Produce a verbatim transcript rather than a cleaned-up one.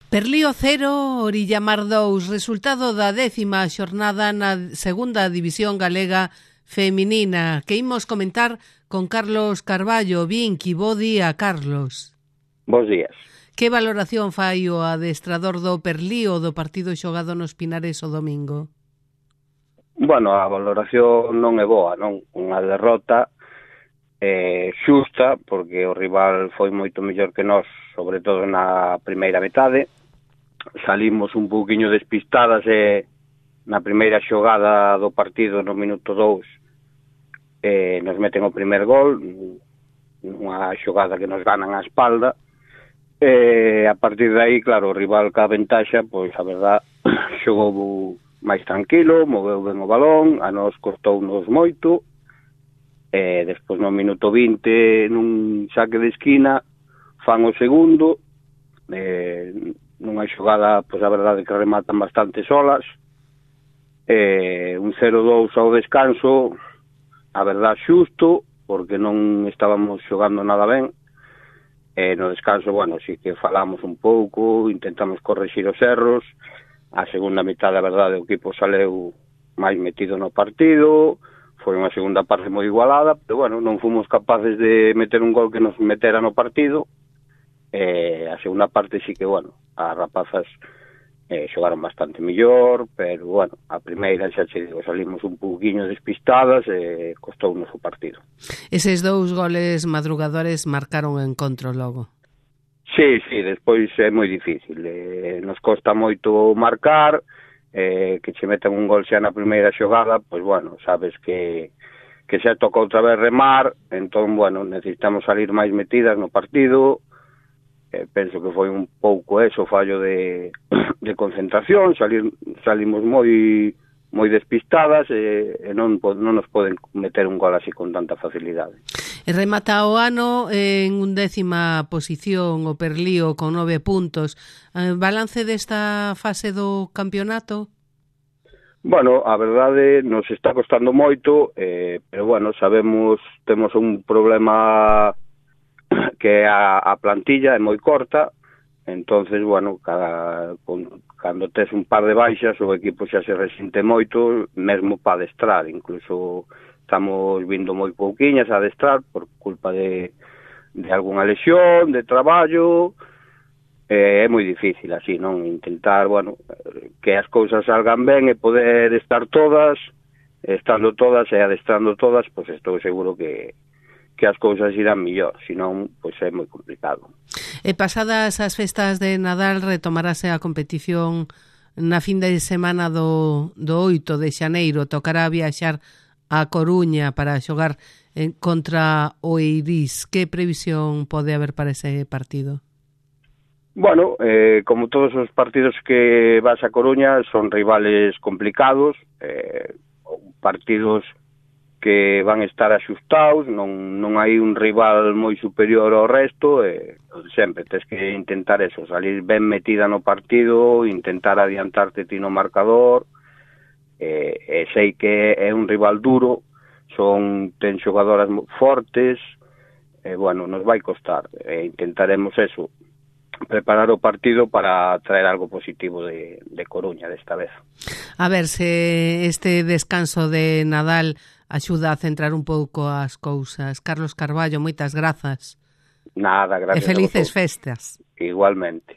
Perlío cero, Orillamar dous, resultado da décima xornada na segunda división galega feminina, que imos comentar con Carlos Carballo. Vinqui, bo día, Carlos. Bos días. Que valoración fai o adestrador do Perlío do partido xogado nos Pinares o domingo? Bueno, a valoración non é boa, non? Unha derrota eh, xusta, porque o rival foi moito mellor que nós, sobre todo na primeira metade. Salimos un pouquiño despistadas e na primeira xogada do partido no minuto dous eh, nos meten o primer gol, unha xogada que nos ganan a espalda, e a partir de aí, claro, o rival ca ventaxa, pois a verdad, xogou máis tranquilo, moveu ben o balón, a nos costounos moito, e despois no minuto vinte, nun saque de esquina, fan o segundo, e nunha xogada, pois a verdade que rematan bastante solas, e un cero dous ao descanso, a verdade xusto, porque non estábamos xogando nada ben, e no descanso, bueno, sí que falamos un pouco, intentamos correxir os erros, a segunda mitad, a verdade, o equipo saleu máis metido no partido, foi unha segunda parte moi igualada, pero bueno, non fomos capaces de meter un gol que nos metera no partido, e a segunda parte sí que, bueno, as rapazas eh, xogaron bastante mellor, pero, bueno, a primeira xa che digo, salimos un pouquiño despistadas e costounos o partido. Eses dous goles madrugadores marcaron o encontro logo. Sí, sí, despois é moi difícil, eh, nos costa moito marcar, eh, que che metan un gol xa na primeira xogada, pois, bueno, sabes que que xa toca outra vez remar, entón, bueno, necesitamos salir máis metidas no partido. Eh, penso que foi un pouco eso, fallo de, de concentración, salir, salimos moi moi despistadas e, e non, non nos poden meter un gol así con tanta facilidade. E remata o ano en undécima posición o Perlío con nove puntos. Eh, balance desta fase do campeonato? Bueno, a verdade nos está costando moito, eh, pero bueno, sabemos, temos un problema que a, a plantilla é moi corta, entonces, bueno, cada, con, cando tes un par de baixas, o equipo xa se resinte moito, mesmo para adestrar, incluso estamos vindo moi pouquiñas a adestrar por culpa de, de algunha lesión, de traballo, eh, é moi difícil así, non? Intentar, bueno, que as cousas salgan ben e poder estar todas, estando todas e adestrando todas, pois estou seguro que que as cousas irán millor, senón, pois é moi complicado. E pasadas as festas de Nadal retomarase a competición na fin de semana do, do oito de xaneiro. Tocará viaxar a Coruña para xogar en, contra o Eirís. Que previsión pode haber para ese partido? Bueno, eh, como todos os partidos que vas a Coruña son rivales complicados, eh, partidos que van estar axustados, non, non hai un rival moi superior ao resto, e sempre tes que intentar eso, salir ben metida no partido, intentar adiantarte ti no marcador, e, e sei que é un rival duro, son ten xogadoras fortes, e bueno, nos vai costar, e intentaremos eso, preparar o partido para traer algo positivo de, de Coruña desta vez. A ver se este descanso de Nadal axuda a centrar un pouco as cousas. Carlos Carballo, moitas grazas. Nada, gracias. E felices festas. Igualmente.